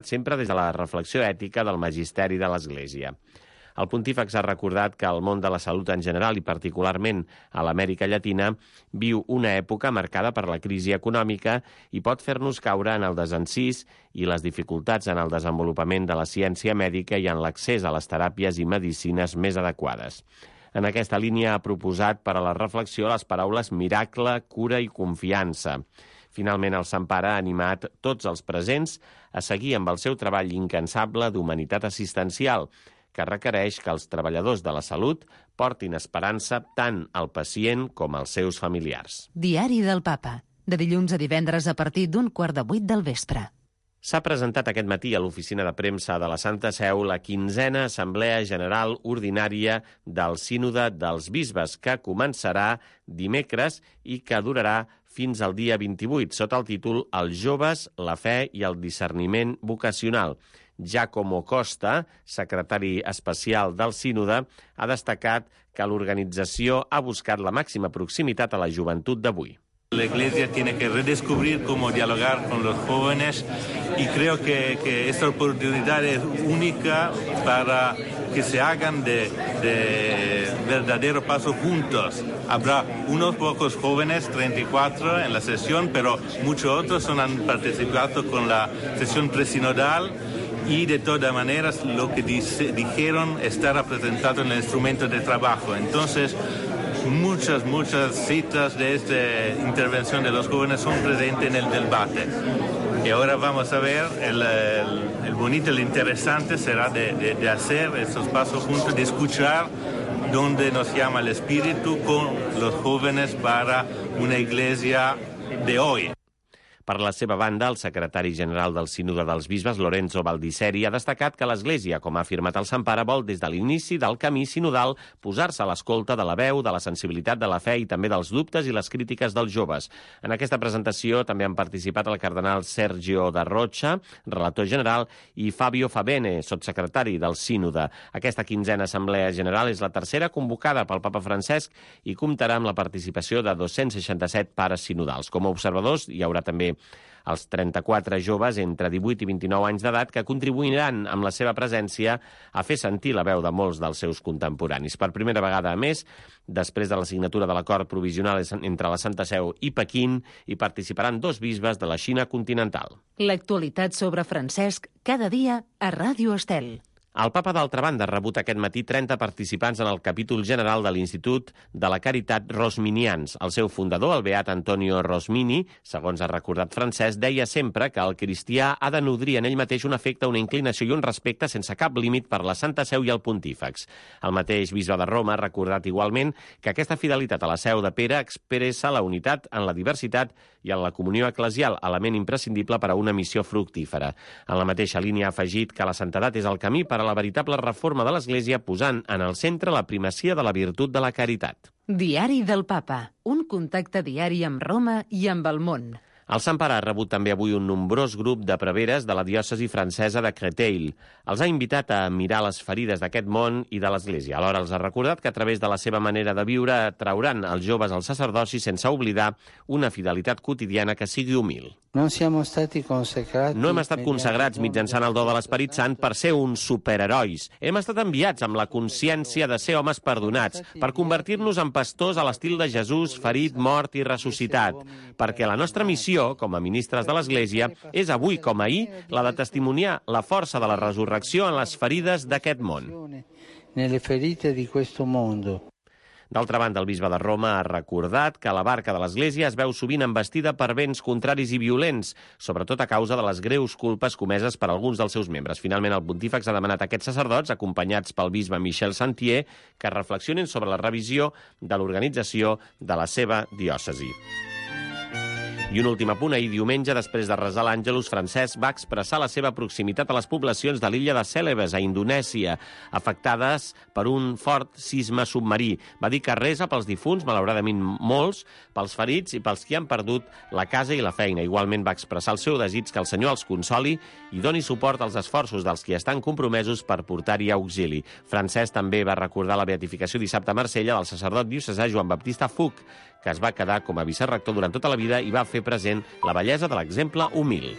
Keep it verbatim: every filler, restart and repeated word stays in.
sempre des de la reflexió ètica del magisteri de l'Església. El pontífex ha recordat que el món de la salut en general i particularment a l'Amèrica Llatina viu una època marcada per la crisi econòmica i pot fer-nos caure en el desencís i les dificultats en el desenvolupament de la ciència mèdica i en l'accés a les teràpies i medicines més adequades. En aquesta línia ha proposat per a la reflexió les paraules miracle, cura i confiança. Finalment, el Sant Pare ha animat tots els presents a seguir amb el seu treball incansable d'humanitat assistencial, que requereix que els treballadors de la salut portin esperança tant al pacient com als seus familiars. Diari del Papa, de dilluns a divendres a partir d'un quart de vuit del vespre. S'ha presentat aquest matí a l'oficina de premsa de la Santa Seu la quinzena Assemblea General Ordinària del Sínode dels Bisbes, que començarà dimecres i que durarà fins al dia vint-i-vuit, sota el títol Els joves, la fe i el discerniment vocacional. Giacomo Costa, secretari especial del Sínode, ha destacat que l'organització ha buscat la màxima proximitat a la joventut d'avui. La Iglesia tiene que redescubrir cómo dialogar con los jóvenes y creo que, que esta oportunidad es única para que se hagan de, de verdadero paso juntos. Habrá unos pocos jóvenes, treinta y cuatro en la sesión, pero muchos otros han participado con la sesión presinodal y de todas maneras lo que dice, dijeron está representado en el instrumento de trabajo. Entonces, muchas, muchas citas de esta intervención de los jóvenes son presentes en el debate. Y ahora vamos a ver, el, el, el bonito, el interesante será de, de, de hacer estos pasos juntos, de escuchar dónde nos llama el Espíritu con los jóvenes para una iglesia de hoy. Per la seva banda, el secretari general del Sínode dels Bisbes, Lorenzo Baldisseri, ha destacat que l'Església, com ha afirmat el Sant Pare, vol des de l'inici del camí sinodal posar-se a l'escolta de la veu, de la sensibilitat de la fe i també dels dubtes i les crítiques dels joves. En aquesta presentació també han participat el cardenal Sergio da Rocha, relator general, i Fabio Favene, sotssecretari del Sínode. Aquesta quinzena Assemblea General és la tercera convocada pel Papa Francesc i comptarà amb la participació de dos-cents seixanta-set pares sinodals. Com a observadors hi haurà també els trenta-quatre joves entre divuit i vint-i-nou anys d'edat que contribuiran amb la seva presència a fer sentir la veu de molts dels seus contemporanis. Per primera vegada, a més, després de la signatura de l'acord provisional entre la Santa Seu i Pequín, hi participaran dos bisbes de la Xina continental. L'actualitat sobre Francesc cada dia a Ràdio Estel. El papa, d'altra banda, ha rebut aquest matí trenta participants en el capítol general de l'Institut de la Caritat Rosminians. El seu fundador, el beat Antonio Rosmini, segons ha recordat Francesc, deia sempre que el cristià ha de nodrir en ell mateix un afecte, una inclinació i un respecte sense cap límit per la Santa Seu i el pontífex. El mateix bisbe de Roma ha recordat igualment que aquesta fidelitat a la Seu de Pere expressa la unitat en la diversitat i en la comunió eclesial, element imprescindible per a una missió fructífera. En la mateixa línia ha afegit que la santedat és el camí per a la veritable reforma de l'Església, posant en el centre la primacia de la virtut de la caritat. Diari del Papa, un contacte diari amb Roma i amb el món. El Sant Pare ha rebut també avui un nombrós grup de preveres de la diòcesi francesa de Créteil. Els ha invitat a mirar les ferides d'aquest món i de l'Església. Alhora els ha recordat que a través de la seva manera de viure trauran els joves al sacerdoci sense oblidar una fidelitat quotidiana que sigui humil. No siamo stati consacrati. No hem estat consagrats mitjançant el do de l'Esperit Sant per ser uns superherois. Hem estat enviats amb la consciència de ser homes perdonats, per convertir-nos en pastors a l'estil de Jesús, ferit, mort i ressuscitat. Perquè la nostra missió, com a ministres de l'Església, és avui com ahir la de testimoniar la força de la resurrecció en les ferides d'aquest món. Nelle ferite di questo mondo. D'altra banda, el bisbe de Roma ha recordat que la barca de l'Església es veu sovint embestida per vents contraris i violents, sobretot a causa de les greus culpes comeses per alguns dels seus membres. Finalment, el pontífex ha demanat a aquests sacerdots, acompanyats pel bisbe Michel Santier, que reflexionin sobre la revisió de l'organització de la seva diòcesi. I un últim apunt, ahir diumenge, després de resar l'Àngelus, Francesc va expressar la seva proximitat a les poblacions de l'illa de Cèlebes, a Indonèsia, afectades per un fort sisme submarí. Va dir que resa pels difunts, malauradament molts, pels ferits i pels qui han perdut la casa i la feina. Igualment va expressar el seu desig que el Senyor els consoli i doni suport als esforços dels qui estan compromesos per portar-hi auxili. Francesc també va recordar la beatificació dissabte a Marsella del sacerdot diocesà Joan Baptista Fuch, que es va quedar com a vicerrector durant tota la vida i va fer present la bellesa de l'exemple humil.